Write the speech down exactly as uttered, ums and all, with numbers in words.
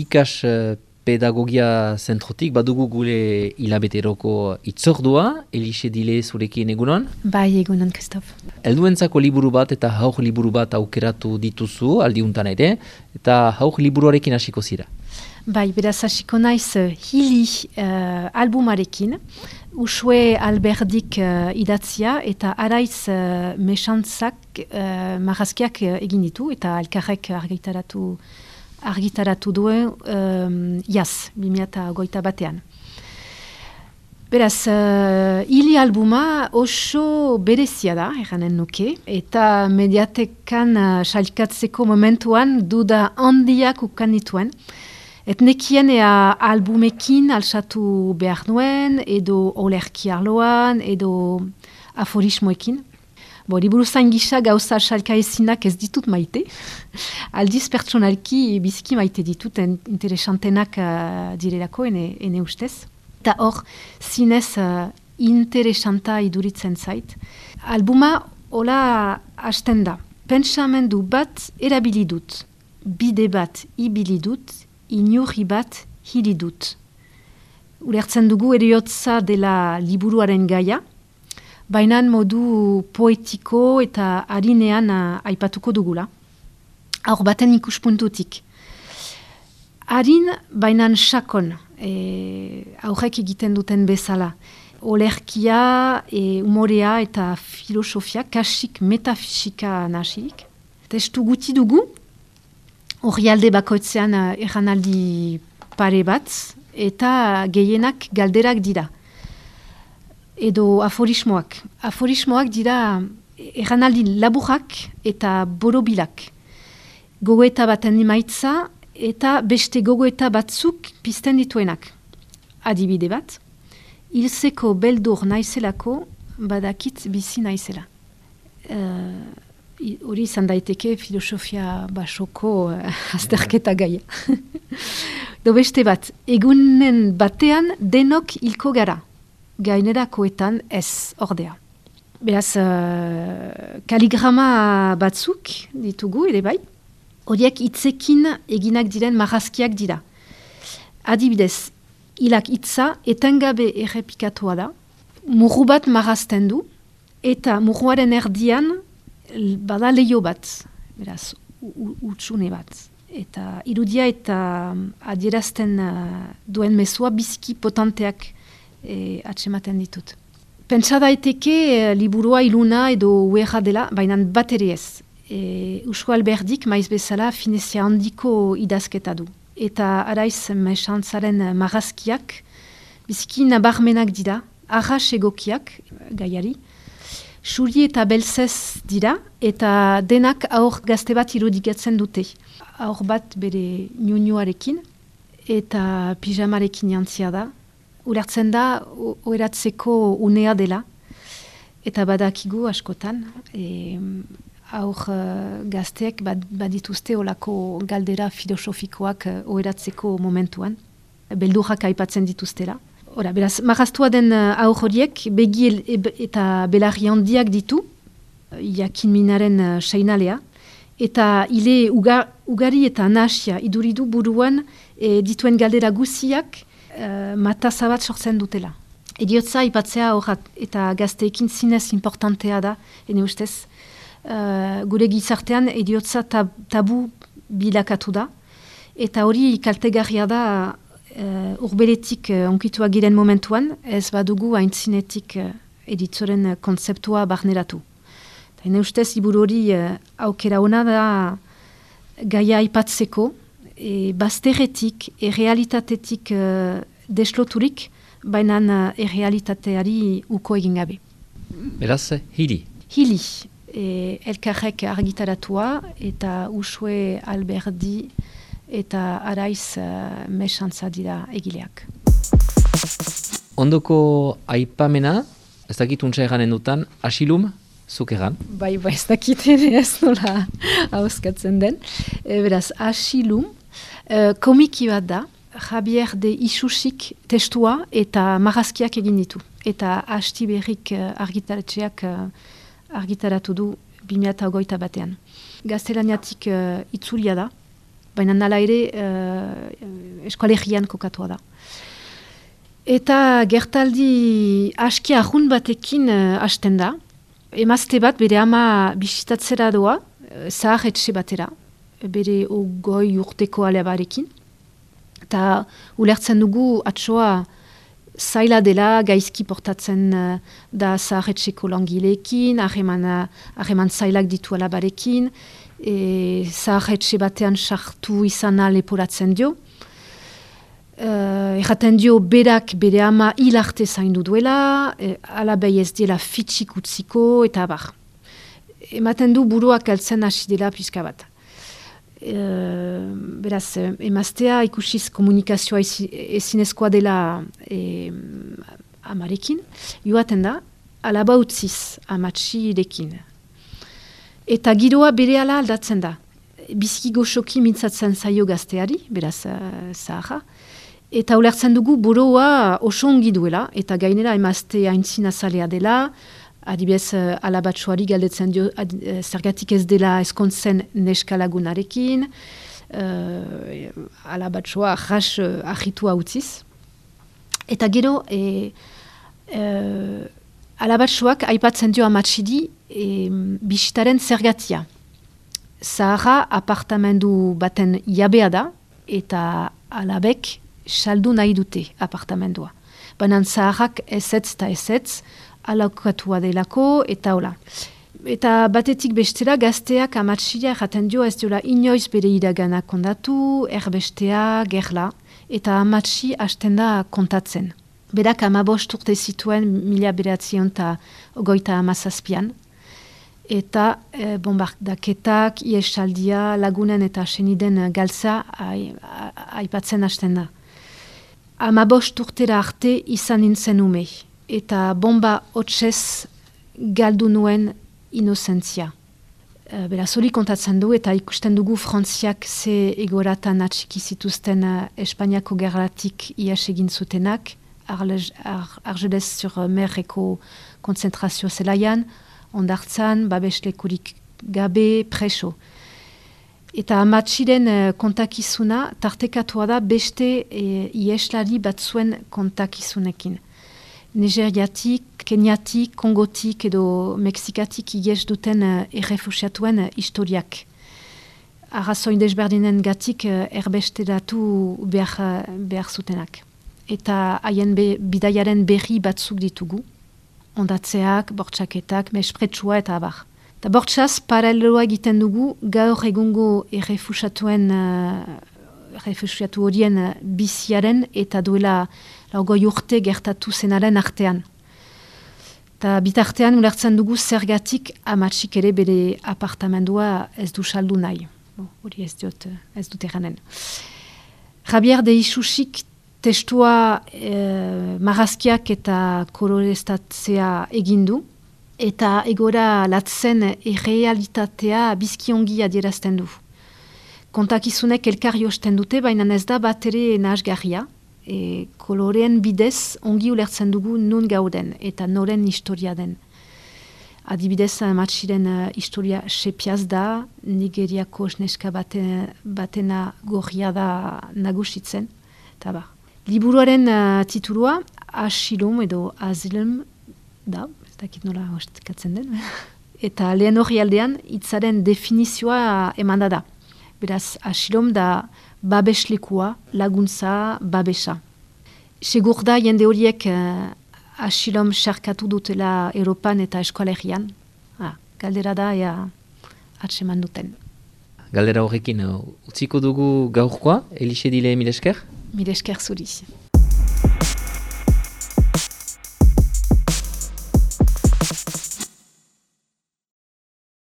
ikas uh, pedagogia zentrotik, badugu gure hilabeteroko itzordua, Elixe Dile zurekin egunon? Bai, egunon, Kristof. Helduentzako liburu bat eta haur liburu bat aukeratu dituzu, aldiuntan ere, eta haur liburuarekin hasiko zira. Bai, beraz hasiko naiz uh, hili uh, albumarekin, Usue Alberdik uh, idatzia eta araiz uh, mesantzak uh, marrazkiak uh, egin ditu eta elkarrek argitaratu argitaratu duen um, jaz, bi mila hogeita batean. Beraz, uh, hili albuma oso berezia da, erranen nuke, eta mediatekan uh, salkatzeko momentuan duda handiak ukan dituen. Et nekien ea albumekin alsatu behar nuen, edo olerki arloan, edo aforismoekin. Bo, liburu zain gisa gauza salka ezinak ez ditut maite. Aldiz pertsonalki biziki maite ditut, interesantenak uh, direlako, ene, ene ustez. Eta hor, zinez uh, interesanta iduritzen zait. Albuma hola hasten da. Pentsamendu bat erabili dut, bide bat ibili dut, inurri bat hili dut. Ulertzen dugu eriotza dela liburuaren gaia, baina modu poetiko eta harinean uh, aipatuko dugula. Hor baten ikuspuntutik. Harin bainan sakon, e, aurrek egiten duten bezala. Olerkia, e, umorea eta filosofia, kasik metafisika nasirik. Testu guti dugu, hori alde bakoitzean uh, erranaldi pare bat, eta gehienak galderak dira. Edo aforismoak. Aforismoak dira erranaldi laburak eta borobilak. Gogoeta baten emaitza eta beste gogoeta batzuk pizten dituenak. Adibide bat, hilzeko beldur naizelako badakit bizi naizela. Hori uh, izan daiteke filosofia basoko uh, azterketa gaia. Do beste bat, egunen batean denok hilko gara. Gainerakoetan ez ordea. Beraz, uh, kaligrama batzuk ditugu ere bai, horiek hitzekin eginak diren marrazkiak dira. Adibidez, hilak hitza etengabe errepikatua da, murru bat marrazten du, eta murruaren erdian bada leio bat, beraz, utsune bat. Eta irudia eta adierazten uh, duen mezua biziki potenteak E, atsematen ditut. Pentsa daiteke e, liburua iluna edo uerra dela, baina bat ere ez. E, Usue Alberdik maiz bezala finezia handiko idazketa du. Eta araiz mesantzaren marrazkiak biziki nabarmenak dira, arras egokiak gaiari, suri eta belzez dira, eta denak aur gazte bat irudikatzen dute. Aur bat bere niunuarekin eta pijamarekin jantzia da. Ulertzen da, oeratzeko unea dela, eta badakigu askotan, e, aur uh, gazteek bad, badituzte olako galdera filosofikoak uh, oeratzeko momentuan, beldurrak aipatzen dituztela. Ora, beraz, marraztua den uh, aur horiek, begi eta belarri handiak ditu, jakin minaren uh, seinalea, eta hile uga, ugari eta nahasia iduridu buruan e, dituen galdera guziak, Uh, mataza bat sortzen dutela. Ediotza ipatzea horrat eta gazteekin zinez importantea da, ene ustez. Uh, gure gizartean ediotza tab, tabu bilakatu da. Eta hori kaltegarria da uh, urbeletik uh, onkitua giren momentuan, ez badugu haintzinetik uh, editzoren uh, kontzeptua barneratu. Ene ustez, liburu hori uh, aukera ona da gaia aipatzeko, E, bazterretik, errealitatetik uh, desloturik, baina uh, errealitateari uko egin gabe. Beraz, hili. Hili, e, elkarrek argitaratua, eta Usue Alberdi eta araiz uh, mesantza dira egileak. Ondoko aipamena, ez dakit untsa eganen dutan, asilum, zuk egan? Bai, bai, ez dakit ere ez nola hauskatzen den. E, beraz, asilum, Uh, komiki bat da, Javier de Isusik testua eta marrazkiak egin ditu. Eta Asti Berrik uh, argitaratxeak uh, argitaratu du bi mila hogeita batean. Gaztelaniatik uh, itzulia da, baina nala ere uh, eskoalegian kokatua da. Eta gertaldi aski ahun batekin uh, hasten da. Emazte bat bere ama bisitatzera doa, uh, zahar etxe batera, bere ogoi urteko alebarekin. Eta ulertzen dugu atsoa zaila dela gaizki portatzen uh, da zaharretxeko langileekin, harreman zailak ditu alabarekin, e, zaharretxe batean sartu izana leporatzen dio. Uh, erraten dio berak bere ama hil arte zaindu duela, e, alabei ez diela fitxik utziko, eta bar. Ematen du buruak altzen hasi dela pixka bat. Uh, beraz, emaztea ikusiz komunikazioa ezinezkoa dela e, amarekin, joaten da, alaba utziz amatxirekin. Eta giroa bere ala aldatzen da. Biziki goxoki mintzatzen zaio gazteari, beraz, uh, zaharra. Eta ulertzen dugu buroa oso ongi duela, eta gainera emazte haintzina zalea dela, adibidez uh, alabatxoari galdetzen dio ad, uh, zergatik ez dela eskontzen neskalagunarekin, uh, alabatxoa jas uh, ahitua utziz. Eta gero, e, uh, alabatxoak aipatzen dio amatxidi e, bisitaren zergatia. Zaharra apartamendu baten jabea da, eta alabek saldu nahi dute apartamendua. Baina zaharrak ezetz eta ezetz, alakokatua delako, eta hola. Eta batetik bestera gazteak amatxila jaten dio ez diola inoiz bere iragana kondatu, erbestea, gerla, eta amatxi hasten da kontatzen. Berak amabost urte zituen mila beratzion eta ogoita amazazpian, eta e, bombardaketak, iesaldia, lagunen eta seniden galtza aipatzen hasten da. Amabost urtera arte izan nintzen ume, eta bomba hotsez galdu nuen inozentzia. E, beraz, hori kontatzen du, eta ikusten dugu Frantziak ze egoratan atxiki zituzten uh, Espainiako gerratik ies egin zutenak, Argelez sur Merreko konzentrazio zelaian, ondartzan, babeslekurik gabe, preso. Eta amatxiren uh, kontakizuna tartekatua da beste e, ieslari batzuen kontakizunekin. Nigeriatik, Keniatik, Kongotik edo Mexikatik ies duten uh, errefusiatuen uh, historiak. Arrazoin desberdinen gatik uh, erbesteatu behar, uh, behar zutenak. Eta haien be, bidaiaren berri batzuk ditugu. Ondatzeak, bortxaketak, mespretsua eta abar. Eta bortxaz, paraleloa egiten dugu, gaur egungo errefusiatuen, uh, errefusiatu horien uh, biziaren eta duela laugoi urte gertatu zenaren artean. Eta bitartean ulertzen dugu zergatik amatxik ere bere apartamendua ez du saldu nahi. Hori ez dut, ez dut eranen. Javier de Isusik testua eh, marrazkiak eta koloreztatzea egindu, eta egora latzen errealitatea bizkiongi adierazten du. Kontakizunek elkarri osten dute, baina ez da bat ere nahasgarria. E, koloreen bidez ongi ulertzen dugu nun gauden eta noren historia den. Adibidez, matxiren uh, historia sepiaz da, Nigeriako esneska bate, batena gorria da nagusitzen. Eta ba. Liburuaren uh, titulua Asilum edo Azilum da, ez dakit nola ostikatzen den. Eta lehen hori aldean, hitzaren definizioa emanda da. Beraz, asilom da babeslekua, laguntza, babesa. Segur da, jende horiek uh, asilom sarkatu dutela Europan eta eskoalegian. Ah, galdera da, ea atseman duten. Galdera horrekin, uh, utziko dugu gaurkoa, Elixe Dile, mil esker? Mil esker zuri.